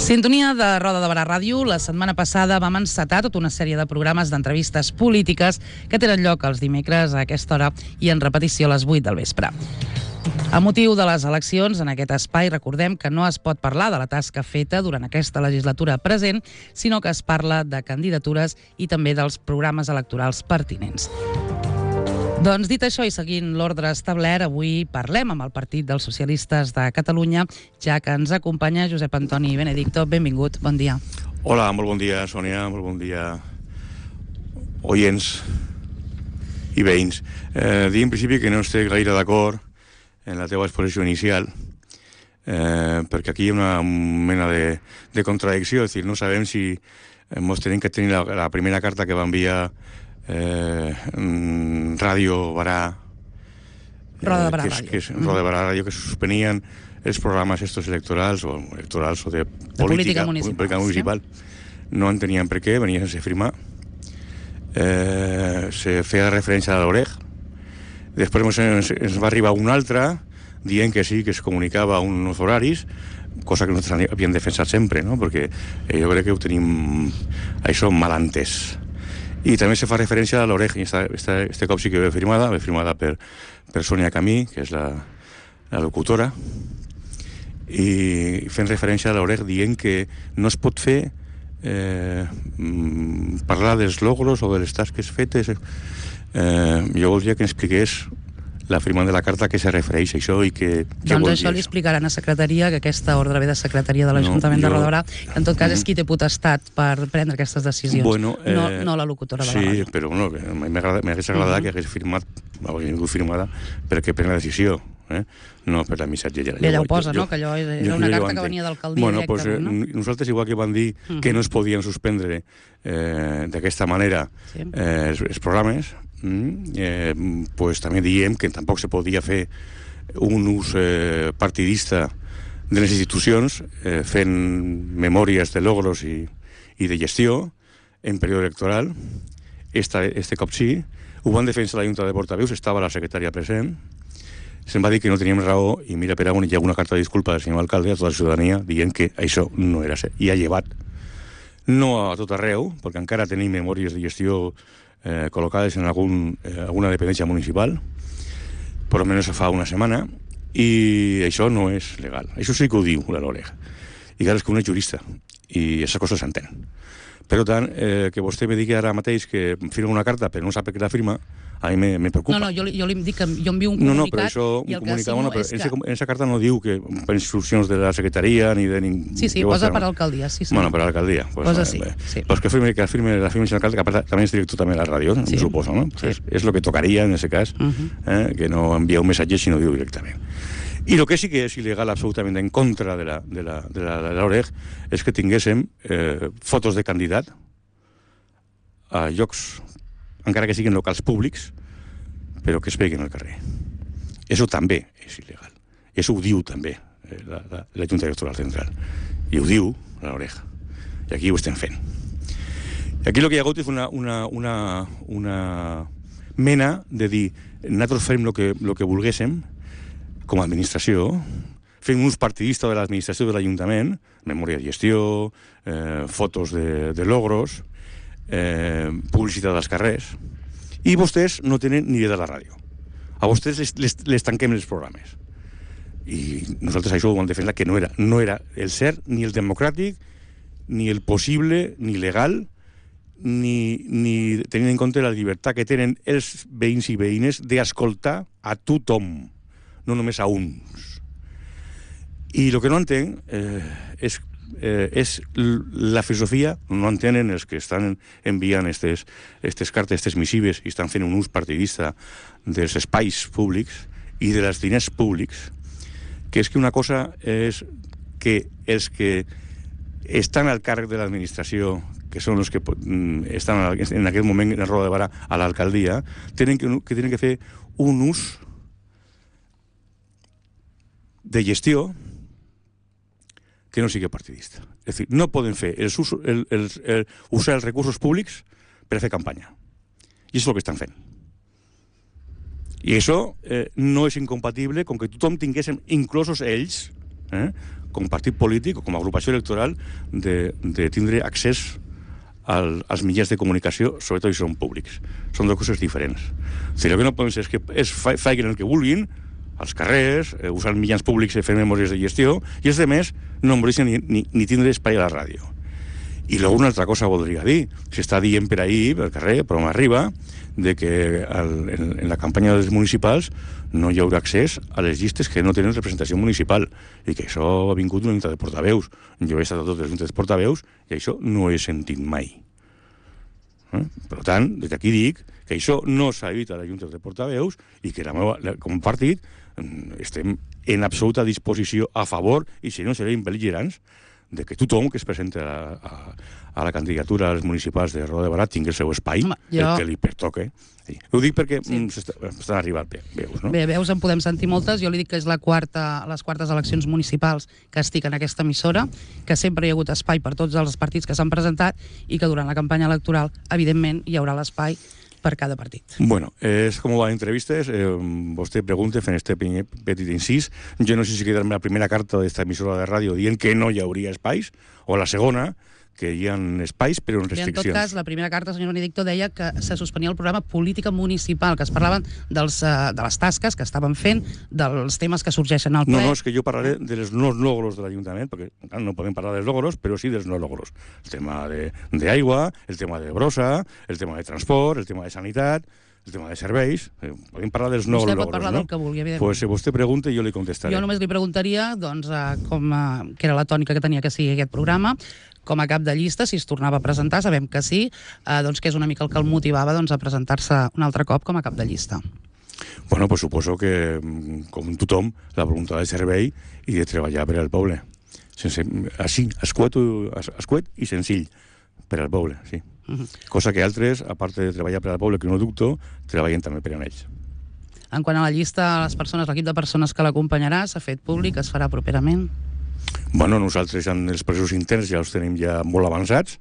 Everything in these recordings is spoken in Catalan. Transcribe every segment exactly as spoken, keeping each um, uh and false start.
Sintonia de Roda de Barà Ràdio. La setmana passada vam encetar tota una sèrie de programes d'entrevistes polítiques que tenen lloc els dimecres a aquesta hora i en repetició a les vuit del vespre. A motiu de les eleccions, en aquest espai recordem que no es pot parlar de la tasca feta durant aquesta legislatura present, sinó que es parla de candidatures i també dels programes electorals pertinents. Doncs dit això i seguint l'ordre establert, avui parlem amb el Partit dels Socialistes de Catalunya, ja que ens acompanya Josep Antoni Benedicto. Benvingut, bon dia. Hola, molt bon dia, Sònia, molt bon dia, oients i veïns. Eh, dir en principi que no estic gaire d'acord en la teva exposició inicial, eh, perquè aquí hi ha una mena de, de contradicció, és a dir, no sabem si ens tenim que tenir la, la primera carta que va enviar Eh, Ràdio Barà, Roda de Barà eh, Ràdio. Que, que és, Roda de Barà Ràdio, que se suspenien els programes estos electorals o electorals o de, de política, política municipal, política municipal. Sí. No entenien per què, venia sense firmar. Eh, se feia referència a l'Oreg. Després ens, ens va arribar una altra dient que sí, que es comunicava uns horaris, cosa que nosaltres havíem defensat sempre, no? Perquè eh, jo crec que ho tenim això mal entès. I també se fa referència a l'Oreg, i esta, esta, este cop sí que ve firmada, ve firmada per, per Sònia Camí, que és la, la locutora, i fent referència a l'Oreg dient que no es pot fer eh, parlar dels logros o de les tasques fetes. Eh, jo voldria que ens expliqués la firma de la carta que se refereix a això i que... Doncs això li explicaran a secretaria, que aquesta ordre ve de secretaria de l'Ajuntament no, jo... de Roda de Barà, que en tot cas és qui té potestat per prendre aquestes decisions, bueno, eh, no, no la locutora de sí, la ràdio. Sí, però bueno, m'hagués agradat uh-huh. que hagués firmat, hagués firmada perquè pren la decisió, eh? No per la missatgella. I allà ho posa, jo, no? Que allò era jo, una jo, carta jo que venia d'alcaldia bueno, directament, pues, eh, no? Nosaltres, igual que van dir uh-huh. que no es podien suspendre eh, d'aquesta manera sí. eh, els, els programes, eh, pues també diem que tampoc se podia fer un ús eh, partidista de les institucions eh, fent memòries de logros i, i de gestió en període electoral. Esta, este cop sí, ho van defensar la Junta de Portaveus, estava la secretària present, se'n va dir que no teníem raó i mira, per on hi ha una carta de disculpa del senyor alcalde a tota la ciutadania dient que això no era cert. I ha llevat, no a tot arreu, perquè encara tenim memòries de gestió eh, col·locades en algun, eh, alguna dependència municipal, per almenys fa una setmana, i això no és legal. Això sí que ho diu la Loreg. I clar, és que un és jurista, i aquesta cosa s'entén. Per tant, eh, que vostè me digui ara mateix que firma una carta però no sap per què la firma, a mi me, me preocupa. No, no, jo, jo li dic que jo envio un comunicat... No, no, però això, i el un comunicat, bueno, però és que... que... en aquesta carta no diu que per instruccions de la secretaria ni de ningú... Sí, sí, posa per alcaldia, sí, sí. Bueno, per alcaldia. Pues, posa eh, sí, eh, sí. Pues que firme, que firme la firma de l'alcalde, que aparte, també és director també de la ràdio, sí. Suposo, no? Pues sí. és, és lo que tocaria en aquest cas, uh-huh. eh, que no envia un missatge sinó diu directament. I el que sí que és il·legal absolutament en contra de la, de la, de la, de l'Oreg és que tinguéssim eh, fotos de candidat a llocs, encara que siguin locals públics, però que es peguen al carrer. Això també és il·legal. Això ho diu també eh, la, la, la Junta Electoral Central. I ho diu l'Oreg. I aquí ho estem fent. I aquí el que hi ha hagut és una, una, una, una mena de dir nosaltres fem el que, lo que volguéssim com a administració, fem un ús partidista de l'administració de l'Ajuntament, memòria de gestió, eh, fotos de, de logros, eh, publicitat als carrers, i vostès no tenen ni idea de la ràdio. A vostès les, les, les tanquem els programes. I nosaltres això ho vam defensar que no era, no era el cert, ni el democràtic, ni el possible, ni legal, ni, ni tenint en compte la llibertat que tenen els veïns i veïnes d'escoltar a tothom, no només a uns. I el que no entenc eh, és, eh, és la filosofia, no entenen els que estan enviant aquestes cartes, aquestes missives, i estan fent un ús partidista dels espais públics i de els diners públics, que és que una cosa és que els que estan al càrrec de l'administració, que són els que estan en aquest moment en Roda de Barà a l'alcaldia, tenen que, que tenen que fer un ús de gestió que no sigui partidista. És a dir, no poden fer els us, el, el, el, usar els recursos públics per fer campanya. I això és el que estan fent. I això eh, no és incompatible com que tothom tinguéssim, inclosos ells, eh, com a partit polític o com a agrupació electoral de, de tindre accés al, als mitjans de comunicació, sobretot si són públics. Són dues coses diferents. Si el que no poden ser és que es fa, facin el que vulguin, als carrers, eh, usant mitjans públics i fent memòries de gestió, i els altres no em volien ni, ni, ni tindre espai a la ràdio. I luego una altra cosa voldria dir. S'està dient per ahí, per carrer, però m'arriba, de que al, en, en la campanya dels municipals no hi haurà accés a les llistes que no tenen representació municipal i que això ha vingut d'una junta de portaveus. Jo he estat a totes les juntes de portaveus i això no he sentit mai. Eh? Per tant, des d'aquí dic que això no s'ha dit a les juntes de portaveus i que la meva, la, com a partit estem en absoluta disposició a favor, i si no serem bel·ligerants, de que tothom que es presenta a, a, a la candidatura als municipals de Roda de Barà tingui el seu espai, Home, jo... el que li pertoque. Sí. Ho dic perquè sí. S'estan arribant veus, no? Bé, veus en podem sentir moltes. Jo li dic que és la quarta, les quartes eleccions municipals que estic en aquesta emissora, que sempre hi ha hagut espai per tots els partits que s'han presentat i que durant la campanya electoral, evidentment, hi haurà l'espai per cada partit. Bueno, és com van entrevistes, eh, vostè pregunta fent este petit incís. Jo no sé si quedarme la primera carta d'esta emissora de ràdio dient que no hi hauria espais, o la segona, que hi ha espais però amb restriccions. I en tot cas, la primera carta, senyor Benedicto, deia que se suspenia el programa Política Municipal, que es parlaven dels, uh, de les tasques que estaven fent, dels temes que sorgeixen al ple. No, no, és que jo parlaré dels no logros de l'Ajuntament, perquè clar, no podem parlar dels logros, però sí dels no logros. El tema d'aigua, el tema de brossa, el tema de transport, el tema de sanitat, el tema de serveis. Eh, podem parlar dels no vostè logros, pot parlar no? del que vulgui, evidentment. Pues, si vostè pregunta, jo li contestaré. Jo només li preguntaria, doncs, uh, com, uh, que era la tònica que tenia que sigui aquest programa, com a cap de llista, si es tornava a presentar, sabem que sí, eh, doncs que és una mica el que el motivava doncs, a presentar-se un altre cop com a cap de llista. Bueno, pues suposo que, com tothom, la voluntat de servei i de treballar per al poble. Sense, així, escuet, escuet i senzill, per al poble, sí. Uh -huh. Cosa que altres, a part de treballar per al poble, que no dubto, treballen també per a ells. En quant a la llista, les persones, l'equip de persones que l'acompanyarà, s'ha fet públic, es farà properament? Bueno, nosaltres en els processos interns ja els tenim ja molt avançats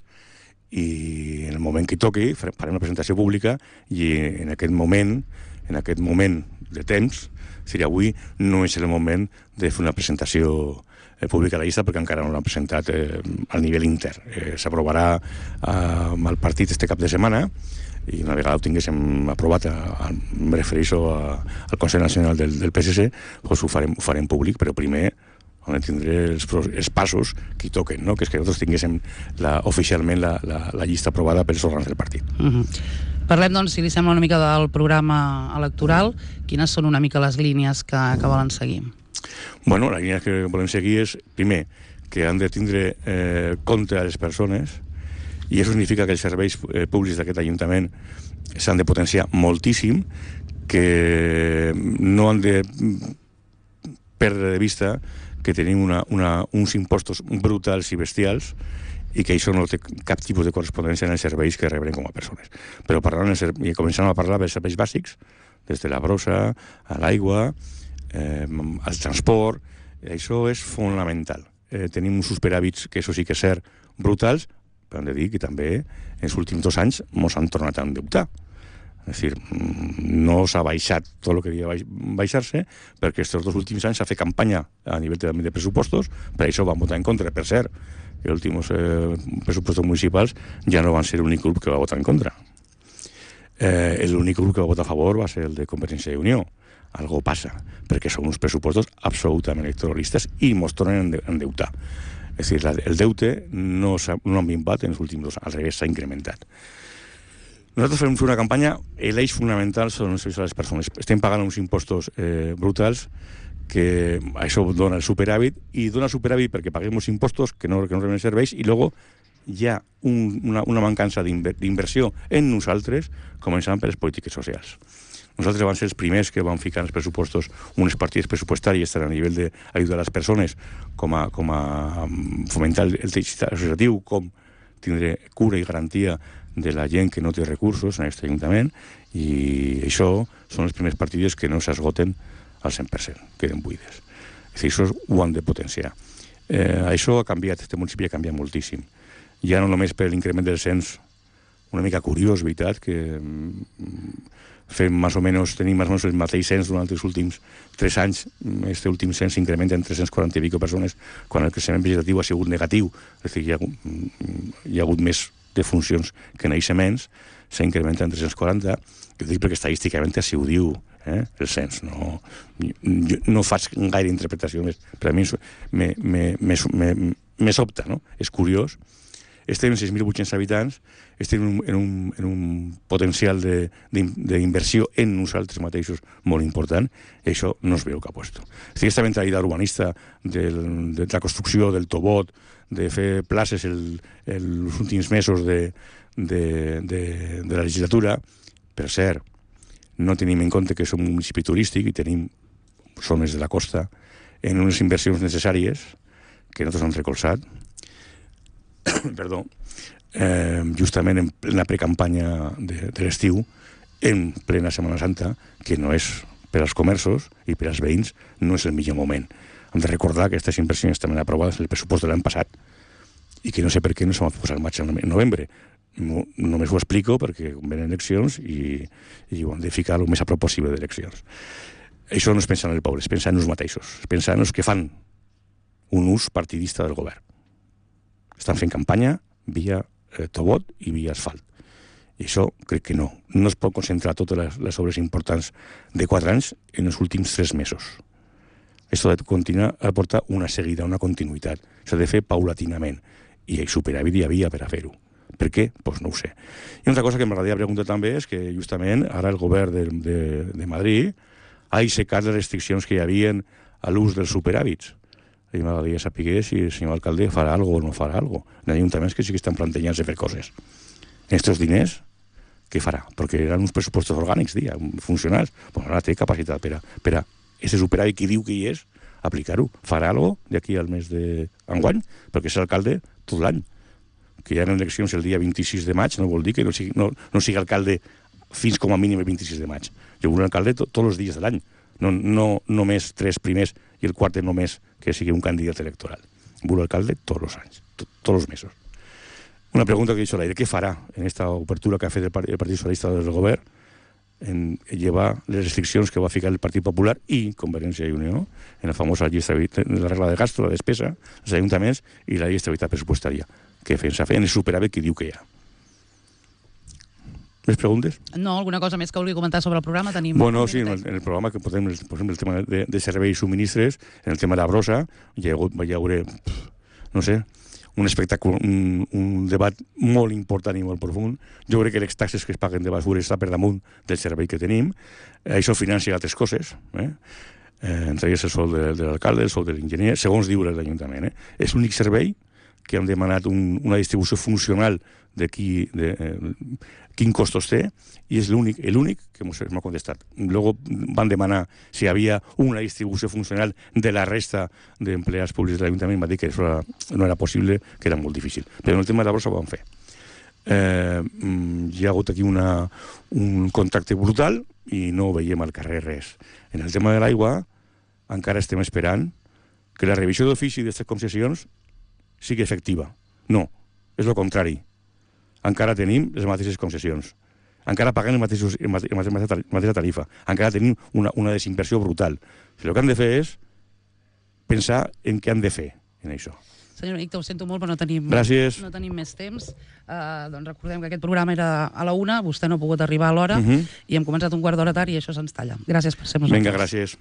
i en el moment que toqui farem una presentació pública i en aquest moment, en aquest moment de temps, si avui no és el moment de fer una presentació pública a la llista perquè encara no l'han presentat eh, al nivell intern. Eh, S'aprovarà eh, amb el partit este cap de setmana i una vegada ho tinguéssim aprovat, a, a, em refereixo a, al Consell Nacional del, del P S C, doncs ho farem, ho farem públic, però primer on tindré els, els passos que hi toquen, no? Que és que nosaltres tinguéssim la, oficialment la, la, la llista aprovada per els òrgans del partit. Uh-huh. Parlem, doncs, si li sembla una mica del programa electoral. Quines són una mica les línies que, que volen seguir? Bueno, la línia que volem seguir és, primer, que han de tindre eh, compte a les persones, i això significa que els serveis eh, públics d'aquest Ajuntament s'han de potenciar moltíssim, que no han de perdre de vista que tenim una, una, uns impostos brutals i bestials i que això no té cap tipus de correspondència en els serveis que rebrem com a persones. Però parlant, i començant a parlar dels serveis bàsics, des de la brossa, a l'aigua, eh, al transport, això és fonamental. Eh, tenim uns superhàbits, que això sí que és cert, brutals, però hem de dir que també en els últims dos anys ens han tornat a endeutar. És a dir, no s'ha baixat tot el que havia de baixar-se, perquè aquests dos últims anys s'ha fet campanya a nivell de, de pressupostos, per això van votar en contra. Per cert, els últims eh, pressupostos municipals ja no van ser l'únic grup que va votar en contra. Eh, l'únic grup que va votar a favor va ser el de Convergència i Unió. Algo passa, perquè són uns pressupostos absolutament electoralistes i ens tornen a endeutar. És a dir, el deute no s'ha no minvat en els últims dos anys, al revés, s'ha incrementat. Nosaltres fem una campanya, l'eix fonamental són els serveis a les persones. Estem pagant uns impostos eh, brutals que això dona el superàvit, i dona superàvit perquè paguem uns impostos que no, que no reben serveis, i després hi ha un, una, una mancança d'inversió en nosaltres, començant per les polítiques socials. Nosaltres vam ser els primers que vam ficar en els pressupostos unes partides pressupostàries a nivell d'ajudar a les persones, com a, com a fomentar el teixit associatiu, com tindre cura i garantia de la gent que no té recursos en aquest Ajuntament, i això són les primeres partides que no s'esgoten al cent per cent, queden buides. És a dir, això ho han de potenciar. Eh, això ha canviat, este municipi ha canviat moltíssim. Ja no només per l'increment del cens, una mica curiós, veritat, que fem més o menys, tenim més o menys el mateix cens durant els últims tres anys. Este últim cens s'incrementa en tres-cents quaranta i pico persones, quan el creixement vegetatiu ha sigut negatiu, és a dir, hi ha, hi ha hagut més defuncions que naixements, s'incrementa en tres-cents quaranta. Jo dic perquè estadísticament així ho diu eh, el cens. No, jo no faig gaire interpretació més, però a mi me, me, me, me, me sobta, no? És curiós. Estem en sis mil vuit-cents habitants, estem en un, en un, en un potencial d'inversió en nosaltres mateixos molt important, i això no es veu cap puesto. És aquesta mentalitat urbanista del, de la construcció del Tobot, de fer places el, el, els últims mesos de, de, de, de la legislatura, per cert, no tenim en compte que som un municipi turístic i tenim zones de la costa en unes inversions necessàries que nosaltres hem recolzat, perdó, eh, justament en plena precampanya de, de l'estiu, en plena Setmana Santa, que no és per als comerços i per als veïns, no és el millor moment. Hem de recordar que aquestes inversions estan aprovades en el pressupost de l'any passat i que no sé per què no s'han posat en marxa en novembre. No, només ho explico perquè venen eleccions i, i ho han de ficar el més a prop possible d'eleccions. Això no es pensa en el poble, es pensa en els mateixos, es pensa en els que fan un ús partidista del govern. Estan fent campanya via eh, Tobot i via asfalt. I això crec que no. No es pot concentrar totes les, les obres importants de quatre anys en els últims tres mesos. Això ha de continuar a portar una seguida, una continuïtat. S'ha de fer paulatinament. I el superàvit hi havia per a fer-ho. Per què? Doncs pues no ho sé. I una altra cosa que m'agradaria preguntar també és que justament ara el govern de, de, de Madrid ha aixecat les restriccions que hi havia a l'ús dels superàvits. I m'agradaria saber si el senyor alcalde farà alguna o no farà alguna cosa. Hi ha ajuntaments que sí que estan plantejant-se fer coses. Estos diners, què farà? Perquè eren uns pressupostos orgànics, dia, funcionals. Pues ara té capacitat per a, per a ese superàvit que diu que hi és, aplicar-ho. Farà alguna cosa d'aquí al mes d'enguany? Perquè és alcalde tot l'any. Que hi ha eleccions el dia vint-i-sis de maig no vol dir que no sigui, no, no sigui alcalde fins com a mínim el vint-i-sis de maig. Jo vull un alcalde to, tots els dies de l'any. No, no només tres primers i el quart només que sigui un candidat electoral. Vull alcalde tots els anys, to, tots els mesos. Una pregunta que he dit a l'aire, què farà en aquesta obertura que ha fet el Partit, el Partit Socialista del govern en llevar les restriccions que va ficar el Partit Popular i Convergència i Unió en la famosa llista, la regla de gasto, la despesa, els ajuntaments i la llei d'estabilitat pressupostària, que pensa fer en el superàvit que diu que hi ha. Més preguntes? No, alguna cosa més que vulgui comentar sobre el programa? Tenim bueno, sí, en el, en el programa que podem, per exemple, el tema de, de serveis i subministres, en el tema de la brossa, hi ha, hi haurà, no sé, un espectacle, un, un debat molt important i molt profund. Jo crec que les taxes que es paguen de basura està per damunt del servei que tenim. Això financia altres coses, eh? Eh, entre ells el sou de, de l'alcalde, el sou de l'enginyer, segons diu l'Ajuntament. Eh? És l'únic servei que hem demanat un, una distribució funcional de, qui, de eh, quin costos té, i és l'únic l'únic que m'ha contestat. Luego van demanar si hi havia una distribució funcional de la resta d'empleats públics de l'Ajuntament, va dir que això era, no era possible, que era molt difícil. Però en el tema de la brossa ho van fer. Eh, hi ha hagut aquí una, un contacte brutal i no veiem al carrer res. En el tema de l'aigua encara estem esperant que la revisió d'ofici d'aquestes concessions sigui efectiva. No, és el contrari. Encara tenim les mateixes concessions. Encara paguem la mateixa tarifa. Encara tenim una, una desinversió brutal. El que han de fer és pensar en què han de fer en això. Senyor Icta, ho sento molt, però no tenim, Gràcies. no tenim més temps. Uh, doncs recordem que aquest programa era a la una, vostè no ha pogut arribar a l'hora, uh-huh. i hem començat un quart d'hora tard i això se'ns talla. Gràcies per ser nosaltres. Vinga, gràcies.